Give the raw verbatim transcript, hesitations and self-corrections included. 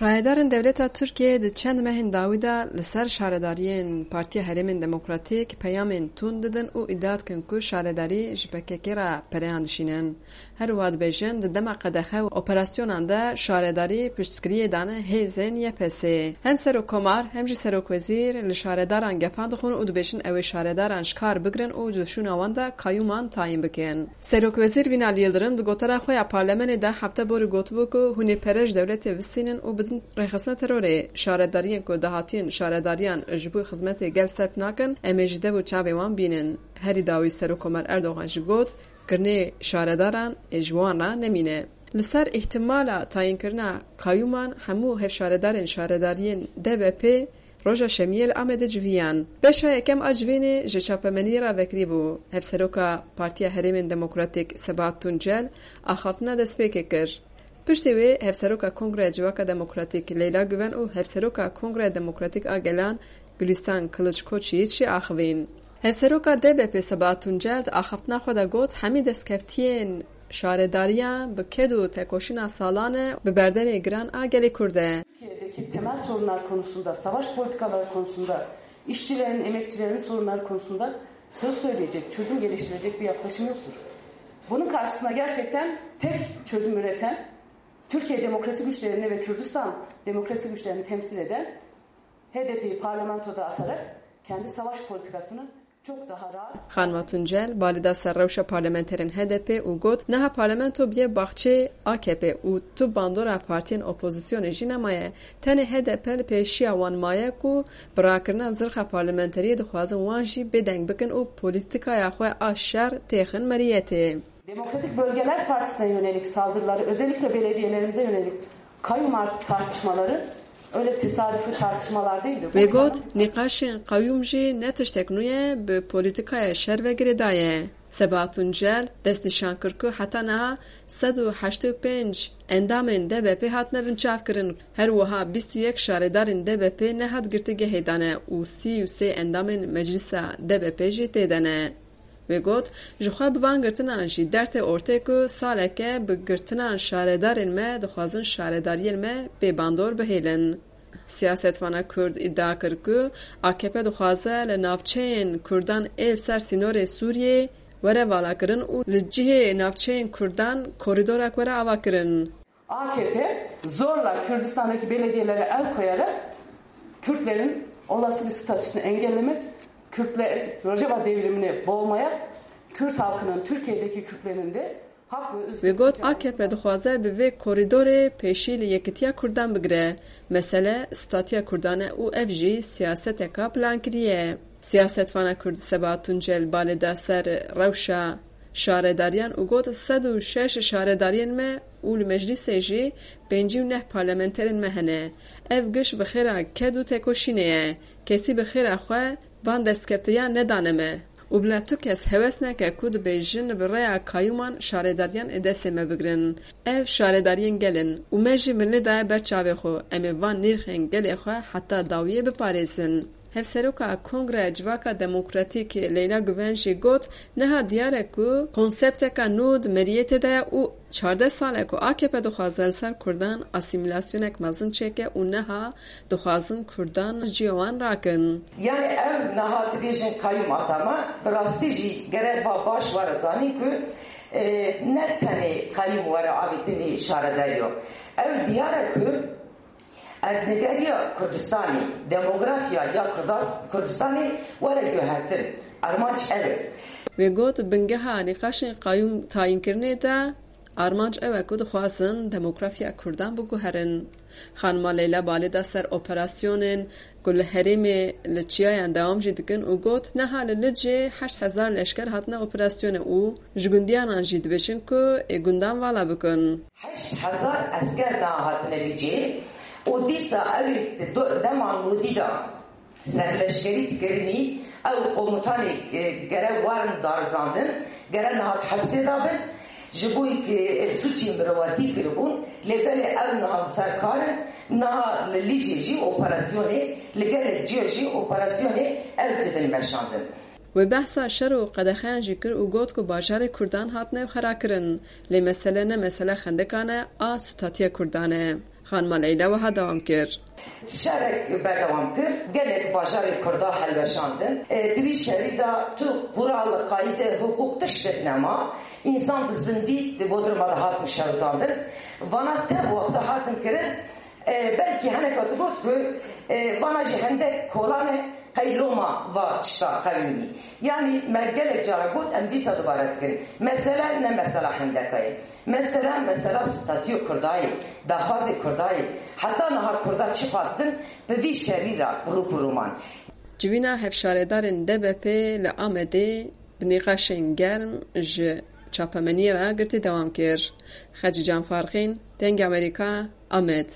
Rayedarên dewleta Tirkiyeyê di çend mehên dawî de li ser şaredariyên Partiya Herêmên Demokratîk peyamên tund didin û îdia dikin ku şaredarî ji P K K re pereyan dişînin. Her wiha dibêjin, di dema qedexe û operasyonan de şaredarî piştgiriyê dane hêzên Y P S'ê. Hem Serokkomar hem jî Serokwezîr li şaredaran gefan dixwin û dibêjin, ew ê şaredaran ji kar bigirin û di şûna wan de qayûman tayîn bikin. Serokwezîr Binali Yildirim di gotara xwe ya parlamenê de hefte borî gotibû ku hûn ê pere ji dewletê bistînin û bidin rêxistina terorê. Şaredariyên ku dahatiyên şaredariyan ji bo xizmetê gel serf nakin, em ê ji dev û çavê wan bînin. Herî dawî Serokkomer Erdogan jî got, kirinê şaredaran ê ji wan re nemîne. Li ser îhtimala tayînkirina qayûman hemû hevşaredarên şaredariyên D B P roja Şemiyê li Amedê civiyan. Beşa yekem a civînê ji çapemeniyê re vekirî bû. Hevseroka Partiya Herêmên Demokratîk Sebahat Tuncel axaftina destpêkê kir. Piştî wê Hevseroka Kongreya Civaka Demokratîk Leyla Guven û Hevseroka Kongreya Demokratîk a Gelan Gulîstan Kiliç Koçyiğit jî axivîn. Hevseroka D B P Sebahat Tuncel di axaftina xwe de got, hemî destkeftiyên şaredariya bi ked û tekoşîna salan e, bi berdenê giran a gelê Kurd e. Türkiye'deki temel sorunlar konusunda, savaş politikaları konusunda, işçilerin, emekçilerin sorunları konusunda söz söyleyecek, çözüm geliştirecek bir yaklaşım yoktur. Bunun karşısında gerçekten tek çözüm üreten, Türkiye demokrasi güçlerini ve Kürdistan demokrasi güçlerini temsil eden H D P'yi parlamentoda atarak kendi savaş politikasını çok daha rahat Xanima Tuncel balê da ser rewşa parlamenterên H D P û got, niha parlamento bûye baxçê A K P û tu bandora partiyên opozisyonê jî nemaye. Tenê H D P li pêşiya wan maye ku bi rakirina zirxa parlamenteriyê dixwazin wan jî bêdeng bikin û polîtîkaya xwe a şer têxin meriyetê. Demokratik Bölgeler Partisi'ne yönelik saldırıları, özellikle belediyelerimize yönelik kayyum art-, tartışmaları öyle tesadüfi tartışmalar değildir. Wê got, nîqaşên qayûm jî ne tiştek nû ye, bi polîtîkaya şer ve girêdaye. Sebahat Tuncel destnîşan kir ku heta niha sed û heştê û pênc endamên D B P hatine binçavkirin. Her wiha bîst û yek şaredarên D B P nehat girtîgehê dane û sî û sê endamên Meclisa D B P jî tê de ne. Wê got, ji xwe bi van girtinan jî dertê ortê ku saleke bi girtinan şaredarên me dixwazin şaredariyên me bêbandor bihêlin. Siyasetvana Kurd îdia kir ku A K P dixwaze li navçeyên Kurdan ê li ser sînorê Sûriyê were valakirin û li cihê navçeyên Kurdan korîdorek were avakirin. A K P zorla Kürdistan'daki belediyelere el koyarak Kürtlerin olası bir statüsünü engellemek, Kürtler Rojava devrimine boğmaya, Kürt halkının, Türkiye'deki Kürtlerin de hak ve özgürlük Wê got, A K P dixwaze bi vê korîdorê pêşî li yekitiya Kurdan bigire. Mesele statiya Kurdan e û ev jî siyaseteka plankirî ye. Siyasetvana Kurd Sebahat Tuncel balê da ser rewşa şaredariyan û got, sed û şeş şaredariyên me û li meclîsê jî pêncî û neh parlamenterên me hene. Ev giş bi xêra ked û tekoşînê ye. Kesî bi xêra xwe van destkefteyan nedane me. Û bila tu kes hewes neke ku dibêjin bi rêya qayûman şaredariyan ê destê me bigirin. Ev şaredariyên gel in û me jî mirinê daye ber çavê xwe. Em ê van nîrxên gelê xwe heta dawiyê biparêzin. Hevseroka Kongreya Civaka Demokratîk Leyla Guven jî got, niha diyar e ku konsepteka nû di meriyetê de ye û çardeh sal e ku A K P dixwaze li ser Kurdan asîmîlasyonek mezin çêke û niha dixwazin Kurdan ji cihê wan rakin. Yani ev niha dibêjin qayûm atama, bi rastî jî gere ba baş were zanîn ku, e, ne tenê qayûm were avêtinî şaredariyo. Ev diyar e ku erdnîgeriya Kurdistanê, demografya ya Kurdas-, Kurdistanê were guhertin. Armanc ev e. Wê got, bingeha nîqaşên qayûm tayînkirinê de armanc ew e ku dixwazin demografya Kurdan biguherin. Xanima Leyla balê da ser operasyonên ku li herêmê li çiyayan dewam jî dikin û got, niha li Licê heşt hezar leşker hatine operasyonê û ji gundiyanan jî dibêjin ku ê gundan vala bikin. Heşt hezar esker niha hatine Licê û dîsa ew ê di do-, dema nodî de serleşkerî dikirinî, ew komutanê, e, gere werin darizandin, gere niha di hepsê de bin. Ji bo ku, e, sûcî mirovatî kiribûn, lê belê ew niha li ser kar in, niha li Licê jî operasyonê, li gelek cihê jî operasyonê ew didin meşandin. Wê behsa şer û qedexeyan jî kir û got ku bajarê Kurdan hatine xerakirin, lê mesele ne mesele xendekan e, a stûtatiya Kurdan e. Xanima Leyla wiha dewam kir. Şerek berdewam kir, gelek bajarê Kurda helweşandin. E, di vî şerî de tu qural, qayîde, hiqûq tiştek nema. Însan bi zindî di Bodruma de hatin şewitandin. Vana tev wexta hatin kirin, e, belkî heneka digot ku, e, vana jî hindek kolan e, qey loma va tişta qewimî. Yanî me gelek cara got, em dîsa dubare dikin. Mesele ne mesela hindeka ye. Mesela, mesela statûyê Kurda ye, daxwazê Kurda ye. Heta niha Kurda çi xwestin, bi vî şerî re rû bi rû man. Civîna hevşaredarên D B P li Amedê bi nîqaşên germ ji çapemeniyê re girtî dewam kir. Xecîcan Farqîn, Dengê Amerîka, Amed.